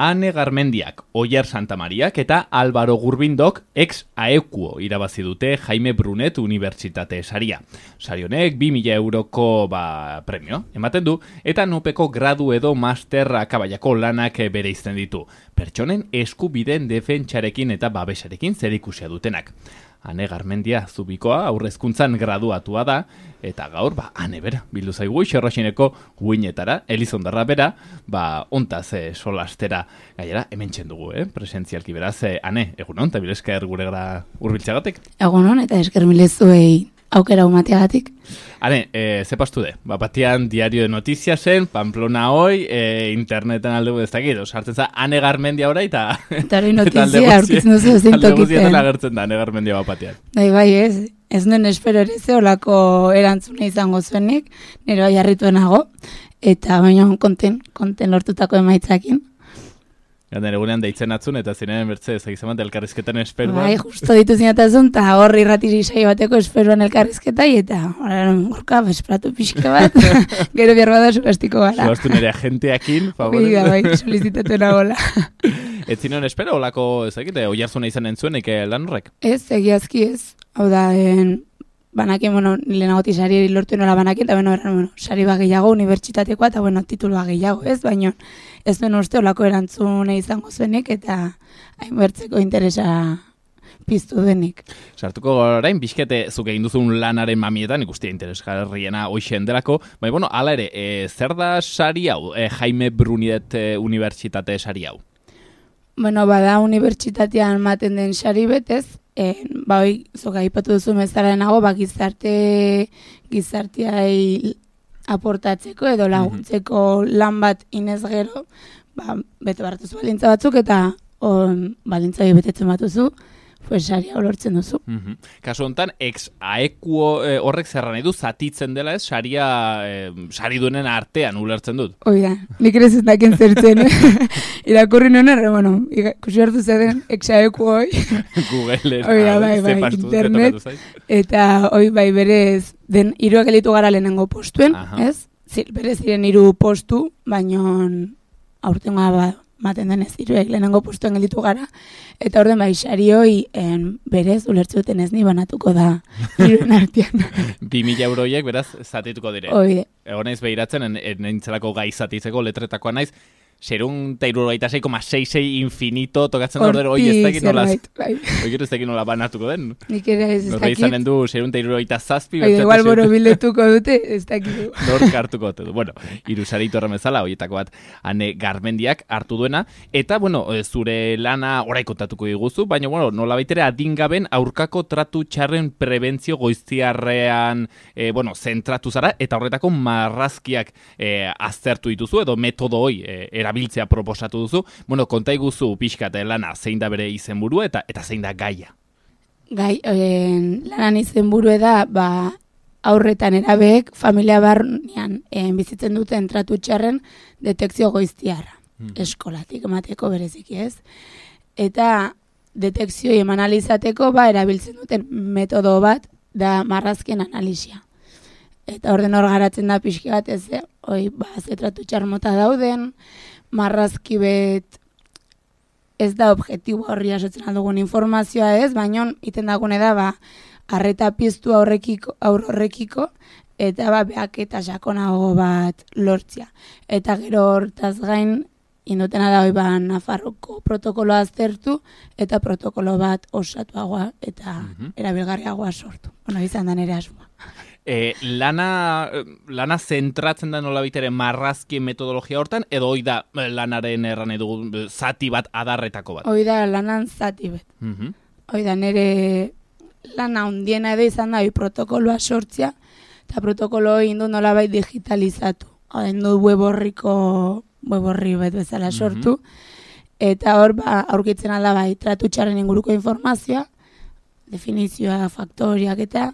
Ane Garmendiak, Oier Santamariak eta Álvaro Gurbindok ex aequo irabazi dute Jaime Brunet Unibertsitate saria. Sari honek 2.000 euroko premio ematen du eta nupeko gradu edo master akabaiako lanak bereizten ditu. Pertsonen eskubideen defentsarekin eta babesarekin zerikusia dutenak. Ane Garmendia Zubikoa aurrezkuntzan graduatua da, eta gaur, Ane bera, bildu zaigu Xerroxineko uinetara, Elizondarra bera, ontaz solastera gainera, hemen txendugu, presentzialki beraz, Ane, egunon, eta bilesker gure gara urbiltzagatik? Egunon, eta esker milezuei aukera umateagatik. Ane, ze pastu de? Batian Diario de Noticiasen, Pamplona hoi, interneten alde ez dakit, sartzen za Ane Garmendia ora eta hori notizia aurkitzen duzu ezin alde tokiten. guztietan agertzen da Ane Garmendia batean. Bai, ez nuen espero ere ze olako erantzuna izango zuenik, nire bai harrituenago, eta baina konten lortutako emaitzakin. Ganden egunean deitzen atzun eta ziren bertze ezagizaman elkarrizketan esperuan. Bai, justo ditu zinatazun, eta hor irratiri saio bateko esperuan elkarrizketai, eta gorka, esperatu pixka bat, gero behar bada subastiko gara. Subastu nire agenteakin, favore. Bai, solicitatu nagola. Ez zinen espero, olako, ezagite, oiarzuna izan entzuenik lan horrek? Ez, egiazki ez. Hau da, banakin, lehenagotik sari lortu nola banakin, eta sari gehiago, unibertsitatekoa, eta titulu gehiago, ez, baina ez duen uste olako erantzune izango zuenik, eta hainbertzeko interesa piztu denik. Sartuko orain, bizkete zuk egin duzun lanaren mamietan, ikustia interesgarriena hoixen delako, baina, hala ere, zer da sari hau, Jaime Brunet Unibertsitate sari hau? Bada unibertsitatean maten den sari betez, hoi, zoka ipatu duzu mezaraenago, gizarteai aportatzeko edo laguntzeko lan bat inez gero, bete baratuzu baldintza batzuk eta baldintza betetzen batuzu, sari hau lortzen duzu. Kasu honetan, ex aequo horrek zerran edu zatitzen dela ez, sari duenen artean ulertzen dut. Oida, nik ere zentaken zertzen, irakurri nuen kusi hartu zaten ex aequo hoi. Google, internet, eta berez, den hiruak elitu gara lehenengo postuen, ez? Berez ziren 3 postu, baino aurtengoa maten denez hiruek lehenengo postuen gelditu gara, eta orden sari hoi berez ulertze duten ez ni banatuko da hiruen artean. 2.000 euroiek beraz zatituko dire. Oide. Egon naiz behiratzen, nintzelako gai zatitzeko letretakoa naiz, 0,66 infinito tokatzen ordero hoi ez dakit nola. Hoi ez dakit nola banatuko den. Nik ere ez dakit. Norra izanen du 0,67. Igual boro biletuko dute, ez dakit. Nork hartuko dute du. Bueno, irusaritu horremezala, horietako bat Ane Garmendiak hartu duena. Eta, zure lana orai kontatuko diguzu, baina, nola baitere adingaben aurkako tratu txarren prebentzio goiztiarrean, zentratu zara, eta horretako marrazkiak aztertu dituzu, edo metodo hoi erabiltzea proposatu duzu. Konta iguzu pixkat lana zein da bere izenburua eta zein da gaia. Lanan izenburua da, aurretan erabeek familia barnean bizitzen duten tratu txarren detekzio goiztiarra. Eskolatik emateko bereziki ez. Eta detekzioi eman alizateko erabiltzen duten metodo bat da marrazkien analisia. Eta orden hor garatzen da pixki bat ez, ze tratu txar mota dauden, marrazki bet ez da objektibo horri asotzen aldugun informazioa ez, baina iten dagune da, arreta piztu aurrekiko, eta behak eta sakonago bat lortzia. Eta gero hortaz gain, indutena da Nafarroko protokoloa aztertu, eta protokolo bat osatuagoa eta erabilgarriagoa sortu. Izan da nire asmoa. Lana zentratzen da nola bitere marrazkien metodologia hortan, edo hoi da lanaren erran edo zati bat adarretako bat? Hoi da lanan zati bat. Hoi da nire lana hundiena edo izan da protokoloa sortzia, eta protokolo hori indu nola bai digitalizatu. Indu web horri bat bezala sortu, eta hor aurkitzen alda tratu txarren inguruko informazioa, definizioa, faktoriak eta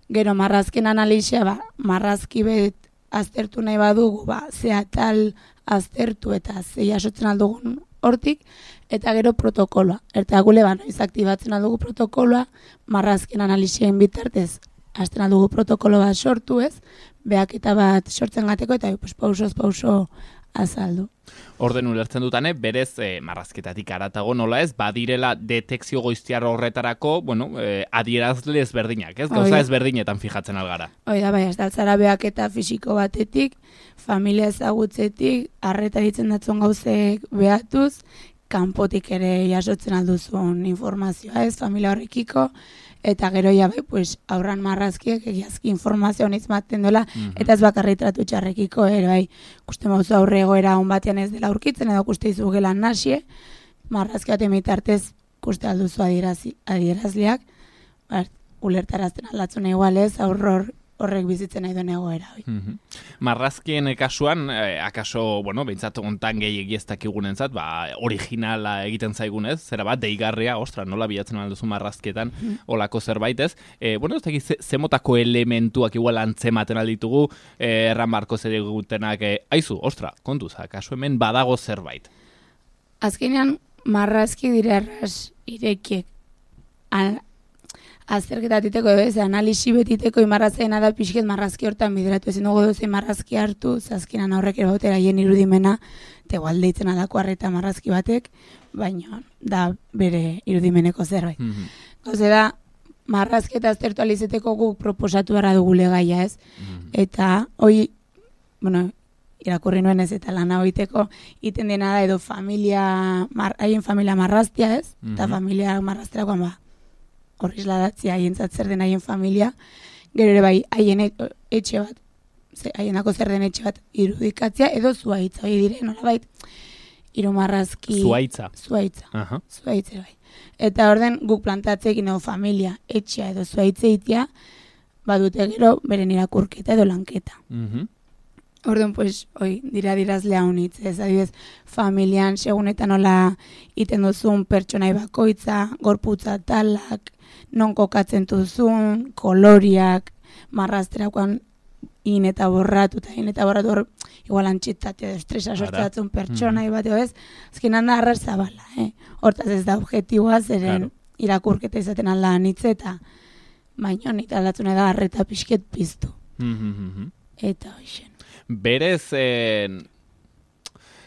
gero marrazken analisia, marrazki bet aztertu nahi badugu, ze atal aztertu eta ze jasotzen aldugun hortik, eta gero protokoloa. Eta gule noiz aktibatzen aldugu protokoloa, marrazken analisien bitartez, azten aldugu protokolo bat sortu ez, behaketa bat sortzen gateko, eta pausoz pauso azaldu. Orden ulertzen dutane, berez marrazketatik aratago nola ez, badirela detekzio goiztiar horretarako, adierazle ezberdinak, ez? Gauza ezberdinetan fijatzen algara. Hoi da, bai, ez da, zarabeak eta fisiko batetik, familia ezagutzetik, arreta ditzen datzun gauzek behatuz, kanpotik ere jasotzen alduzun informazioa ez, familia horrekiko, eta gero ja pues, aurran marrazkiek egiazki informazioa honiz maten dola, eta ez bakarri tratu txarrekiko, bai, kuste mauzu aurre egoera hon batean ez dela aurkitzen, edo kuste izu gelan nasie, marrazki bat emitartez kuste alduzu adierazleak, ulertarazten aldatzuna igualez, horrek bizitzen nahi duen egoera. Marrazkien kasuan, akaso, behintzat ontan gehiagi ez dakigunentzat, originala egiten zaigunez, zera bat, deigarria, nola bilatzen alduzu marrazkietan, olako zerbait ez. Ez dakit, zemotako elementuak igual antzematen alditugu, erran barko zer egutenak, aizu, kontuz, akaso hemen badago zerbait. Azkenean, marrazki dira erraz irekiek, azterketatiteko, analisi betiteko imarrazeena da pixket marrazki hortan bideratu. Ezin dugu dozein marrazki hartu, azkenan aurrek ere bautera hien irudimena, tegoal deitzen alako arreta marrazki batek, baina da bere irudimeneko zerbait. Gauze da, marrazketa aztertu alizeteko guk proposatu behar dugule gaia ez. Eta, irakurri nuen ez eta lana hoiteko, iten dena da edo haien familia marraztia ez, eta familia marrazterakoan horri isladatzea haientzat zer den haien familia, gero ere bai haien etxe bat, haienako zer den etxe bat irudikatzea, edo zuaitza, hori dire, nolabait, irumarrazki... Zuaitza. Zuaitza, bai. Eta orden guk plantatzeekin edo familia, etxea edo zuaitza itea, badute gero beren irakurketa edo lanketa. Orden, pues, dirazlea honitz, ez adibidez, familian, segunetan nola iten duzun pertsonai bakoitza, gorputza talak, non kokatzen duzun, koloriak, marrazterakoan in eta borratu, hor, igual antxitate, estresa sortzatzen pertsonai bat, ez? Azkenan da arras zabala, Hortaz ez da objektiboa, zeren irakurketa izaten alda anitze, eta baina nita aldatzuna da arreta pixket piztu. Eta hoxen. Berez,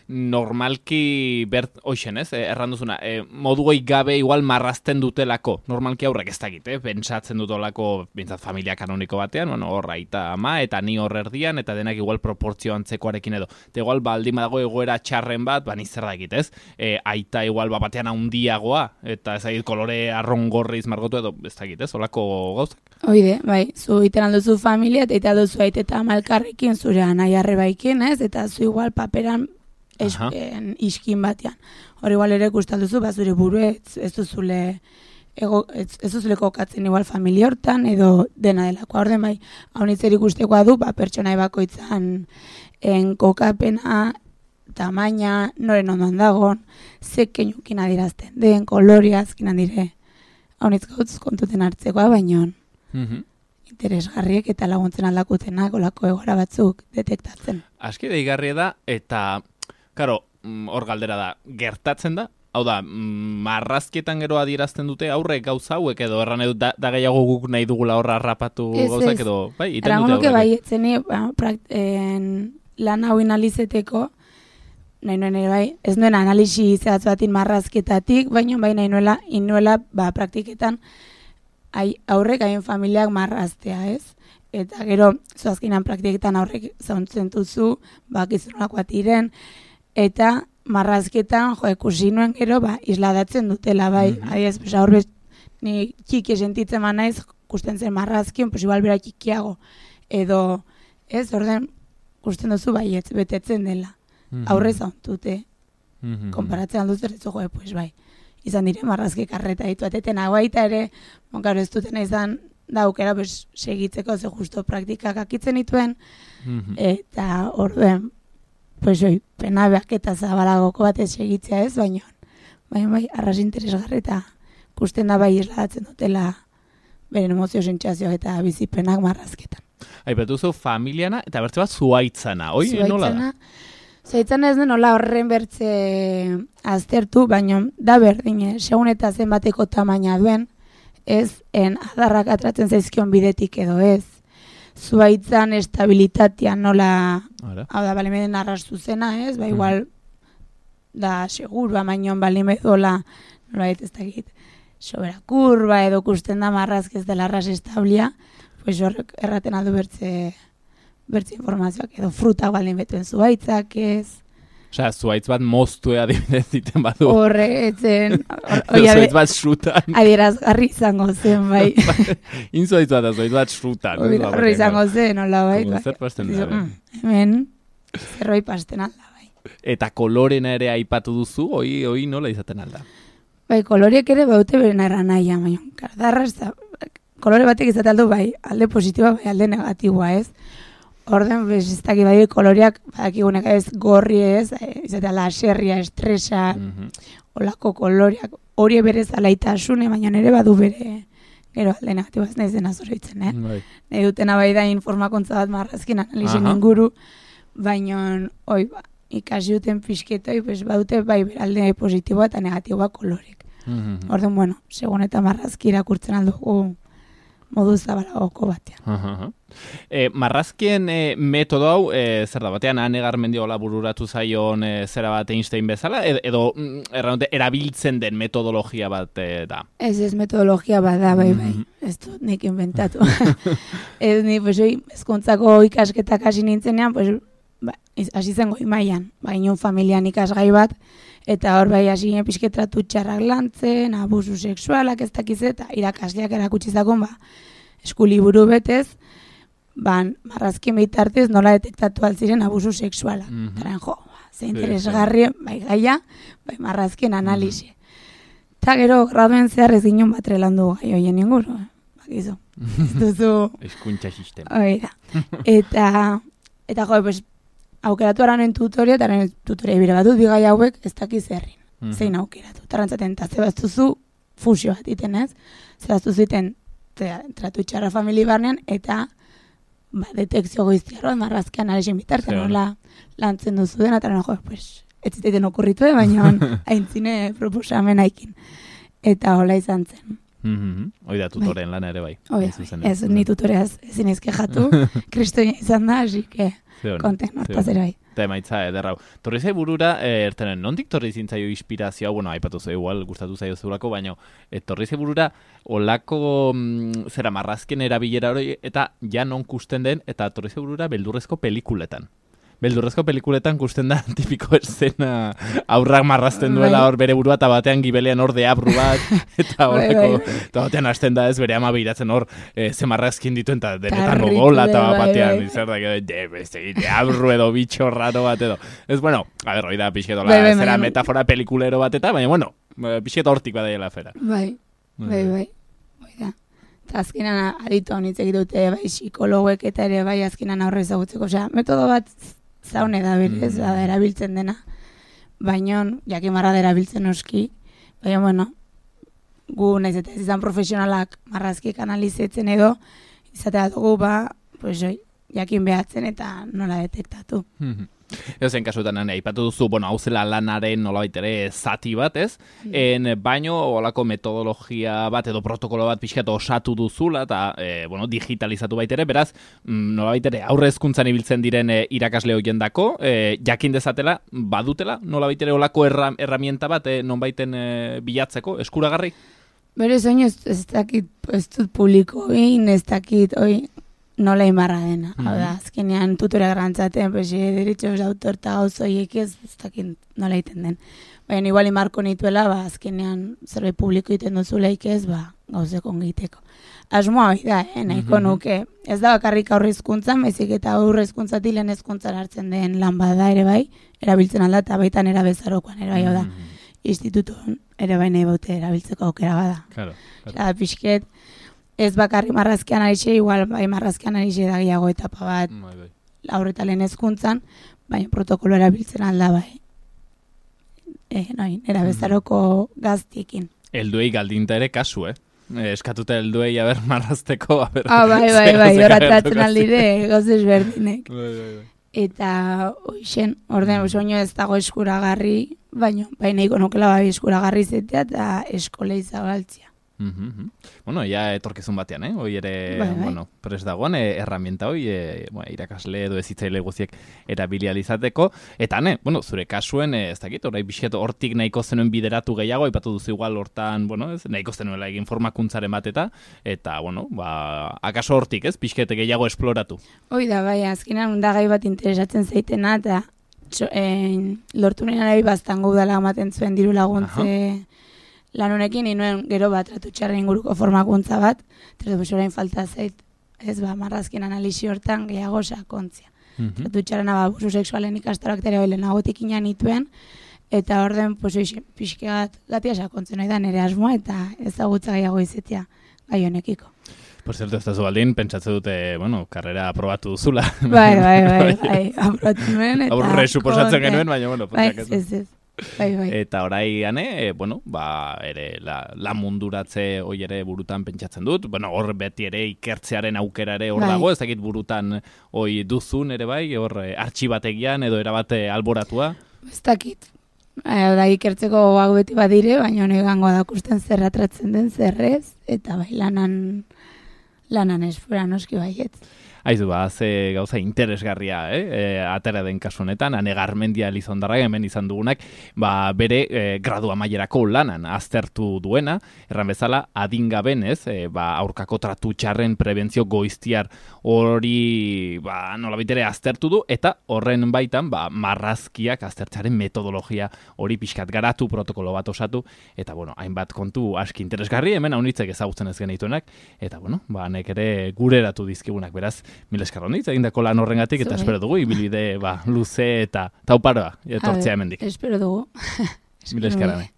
normalki, hoxen ez, erranduzuna, moduoi gabe igual marrazten dutelako, normalki aurrek ez dakit, pentsatzen dutolako, bintzat familia kanoniko batean, hor aita ama, eta ni hor erdian, eta denak igual proportzio antzekoarekin edo. Eta igual, baldin badago egoera txarren bat, nizer dakit, ez? Aita igual batean handiagoa, eta ez dakit kolore arrongorriz margotu edo, ez dakit, ez? Olako gauzak? Oide, bai, zu iten alduzu familia, eta alduzu aite eta amalkarrekin, zure anai arrebaikin, ez? Eta zu igual paperan iskin batean. Hor igual ere kustalduzu, zure buru ez duzule kokatzen igual familia hortan, edo dena delako. Orden bai, hau nitzer ikustekoa du, pertsonai bakoitzan kokapena, tamaina, noren ondoan dagon, zeken jukin adirazten den, koloriazkin handire. Hau nitz gautz kontuten hartzekoa, baino interesgarriek eta laguntzen aldakutenak olako egora batzuk detektatzen. Aski deigarria da, eta karo, hor galdera da, gertatzen da? Hau da, marrazkietan gero adierazten dute aurrek gauza hauek edo erran edo da gehiago guk nahi dugula horra harrapatu gauzak edo, bai, iten dute aurrek. Bai, etzeni, lan hau analizeteko, nahi nuen ere bai, ez nuen analisi zehatz batin marrazketatik, baina bai nahi nuela praktiketan aurrek haien familiak marraztea, ez? Eta gero, zoazkinan praktiketan aurrek zauntzen duzu, bakizunolakoa tiren, eta marrazketan, ikusi nuen gero, isladatzen dutela, bai. Adiez, aurrez, ni txiki sentitzen naiz, kusten zen marrazkien, igual bera txikiago. Edo, ez, orden, kusten duzu, ez betetzen dela. Aurrez hauntute. Konparatzen alduzer, ez dugu, bai. Izan dire, marrazkek arreta ditu ateten baita ere, monkaro ez duten izan, daukera, segitzeko, ze justo praktikak akitzen dituen, eta orden, pena behak eta zabalagoko batez segitzea ez, baina arras interesgarri eta kusten da bai isladatzen dutela beren emozio sentsazioak eta bizipenak marrazketan. Aipatuzu familiana eta bertze bat zuaitzana, nola da? Zuaitzana ez den nola horren bertze aztertu, baina da berdin, segun eta zenbateko tamaina duen, ez adarrak atratzen zaizkion bidetik edo ez. zuaitzan estabilitatea nola, Ara. hau da, balimeden arrastu zena, ez? Ba, igual, da, segurua, mainon balimedola, nola ez dakit, sobera kurba edo kusten da marrazk ez dela arras establia, pues horrek erraten aldu bertze informazioak, edo frutak baldin betuen zuaitzak, ez? Osea, zuaitz bat moztue adibidez ziten badu. Horretzen, Zuaitz bat frutan. adierazgarri izango zen, bai. Inzuaitz bat, zuaitz bat frutan. Horre izango zen, hola, bai. Como zer pasten da, Hemen, zerbait pasten alda, bai. Eta kolorena ere aipatu duzu, hoi nola izaten alda? Bai, koloriek ere baute beren erranaia, baina, kardarra ez da, kolore batek izaten aldu, bai, alde positiboa, bai, alde negatiboa, ez? Orden, bez, ez dakit bai, koloreak, badakigunek ez, gorri ez, izatea laserria, estresa, olako koloreak, hori berez alaitasune, baina nire badu bere, gero alde negatiboa ez nahi zena zoroitzen, Bai. Nahi dutena bai da informakuntza bat marrazkin analizien inguru, baina, oi, ba, ikasi duten pixketoi, pues, badute bai beralde positiboa eta negatiboa kolorek. Orden, bueno, segun eta marrazki irakurtzen aldugu modu zabalagoko batean. Marrazkien metodo hau, zer da batean, Ane Garmendiola bururatu zaion zera bat Einstein bezala, edo erabiltzen den metodologia bat da? Ez metodologia bat da, bai. Ez dut nik inventatu. Ez ni, pues, ezkontzako ikasketak hasi nintzenean, pues, hasi zen goi mailan, baina familian ikasgai bat, eta hor bai hasi pixketratu txarrak lantzen, abusu sexualak ez dakiz eta irakasleak erakutsi zakon, eskuliburu betez, marrazkien bitartez nola detektatu altziren abusu sexualak. Taren ze interesgarri, bai gaia, bai marrazkien analizi. Eta gero graduen zehar ez ginen bat relandu gai hoien inguru, bakizu. Ez duzu... Eskuntza sistema. Oida. Eta pues, aukeratu aranen tutoria, eta aranen tutoria bire batut, bigai hauek ez dakiz herrin. Zein aukeratu. Tarantzaten, eta zebaztuzu fusio bat iten ez. Zebaztuzu iten tratu txarra famili barnean, eta detekzio goiztiarroa, marrazkean arexen bitartzen, nola lantzen duzu dena, eta pues, ez ziteiten okurritu, baina aintzine proposamen haikin. Eta hola izan zen. Oida tutoren lana ere bai. Ez, ni tutoreaz ezin ezkejatu, kristoia izan da, así que konten hortaz ere bai. Eta emaitza ederrau. Torri zai burura, ertenen, nondik torri zintzaio inspirazioa, bueno, aipatu zai igual, gustatu zaio zeurako, baina torri zai burura, olako zera marrazken erabilera hori, eta ja non kusten den, eta torri zai burura beldurrezko pelikuletan. Beldurrezko pelikuletan kusten da tipiko escena aurrak marrazten duela hor bere burua eta batean gibelean hor deabru bat eta horreko eta batean hasten da ez bere ama behiratzen hor ze marrazkin dituen eta denetan odola eta batean izar da deabru edo bitxo raro bat edo. Ez bueno, a ver, hori da pixketola zera metafora pelikulero bat eta baina bueno, pixketo hortik badaiela fera. Bai. Hori da. Eta azkenan aditu honitz egitute bai psikologuek eta ere bai azkenan aurre ezagutzeko. Osea, metodo bat zaune da berez, erabiltzen dena. Baina, jakin marra da erabiltzen oski. Baina, bueno, gu nahiz eta ez izan profesionalak marrazkiek analizetzen edo, izatea dugu, pues, jakin behatzen eta nola detektatu. Ezen kasuetan aipatu duzu, bueno, hau zela lanaren nolabait ere zati bat, ez? Baino, olako metodologia bat edo protokolo bat pixkat osatu duzula eta, bueno, digitalizatu baitere, beraz, nolabait ere aurre hezkuntzan ibiltzen diren irakasle hoiendako, jakin dezatela, badutela, nolabait ere olako erramienta bat, nonbaiten bilatzeko, eskuragarri? Berez, oin ez dakit, ez dut publiko egin, ez dakit, nola imarra dena. Hau da, azkenean tutorea garrantzaten, derechos de autor eta gauzoiek ez dakit nola egiten den. Baina igual imarko nituela, azkenean zerbait publiko egiten duzuleik ez, gauzeko ongiteko. Asmoa hori da, nahiko nuke. Ez da bakarrik aurre hezkuntzan, baizik eta aurre hezkuntzatik lehen hezkuntzan hartzen den lan bada ere bai, erabiltzen alda eta baitan erabezarokoan ere bai, hau da. Institutun ere bai nahi baute erabiltzeko aukera bada. Claro. Pixket, ez bakarri marrazkean arixe, igual bai marrazkean arixe da gehiago etapa bat aurreta lehen hezkuntzan, baina protokolo erabiltzen alda bai. Erabezaroko gaztiekin. Helduei galdinta ere kasu, eskatuta helduei aber marrazteko, aber... Bai, horatratzen aldire, gozes berdinek. Eta, oixen, orden, oino ez dago eskuragarri, baina nahiko nukela bai eskuragarri zetea eta eskolei zabaltzia. Bueno, ja etorkizun batean, hoi ere, bueno, prest dagoen, herramienta hoi, irakasle edo ezitzaile guziek erabilializateko, eta bueno, zure kasuen, ez dakit, orai bisket hortik nahiko zenuen bideratu gehiago, aipatu duzu igual hortan, bueno, ez, nahiko zenuela egin formakuntzaren bat eta, bueno, akaso hortik, ez, pixkete gehiago esploratu. Hoi da, bai, azkenan undagai bat interesatzen zaitena, eta lortu nire nahi baztango udala ematen zuen diru laguntze lan honekin, inuen gero bat tratutxarren inguruko formakuntza bat, eta orain falta zait, ez marrazkin analisi hortan gehiago sakontzia. Tratutxarrena abusu sexualen ikastaroak tere hori lehenagotik inan ituen, eta orden pixke bat gatia sakontzen hori da nire asmoa, eta ezagutza gehiago izetia gai honekiko. Por cierto, ez da baldin, pentsatze dute, bueno, karrera aprobatu duzula. Bai, aprobatu nuen, eta... Aurre suposatzen genuen, baina, bueno, ez. Bai. Eta orai gane, bueno, ere la munduratze hoi ere burutan pentsatzen dut, bueno, hor beti ere ikertzearen aukera ere hor dago, ez dakit burutan hoi duzun ere bai, hor artxibategian edo erabate alboratua? Ez dakit, da ikertzeko hau beti badire, baina honi gango dakusten zerratratzen den zerrez, eta bai lanan esfera noski baiet. Aizu, ze gauza interesgarria, atera den kasu honetan, Ane Garmendia Elizondarra hemen izan dugunak, bere gradu amaierako lanan aztertu duena, erran bezala, adingaben, aurkako tratu txarren prebentzio goiztiar hori, nolabitere aztertu du, eta horren baitan, marrazkiak aztertzaren metodologia hori pixkat garatu, protokolo bat osatu, eta, bueno, hainbat kontu aski interesgarri, hemen haunitzek ezagutzen ez genituenak, eta, bueno, nek ere gureratu dizkigunak, beraz, mil eskarronitz egindako lan horrengatik, eta espero dugu, ibilbide luze eta tauparoa etortzea hemendik. Espero dugu. Mil eskarane.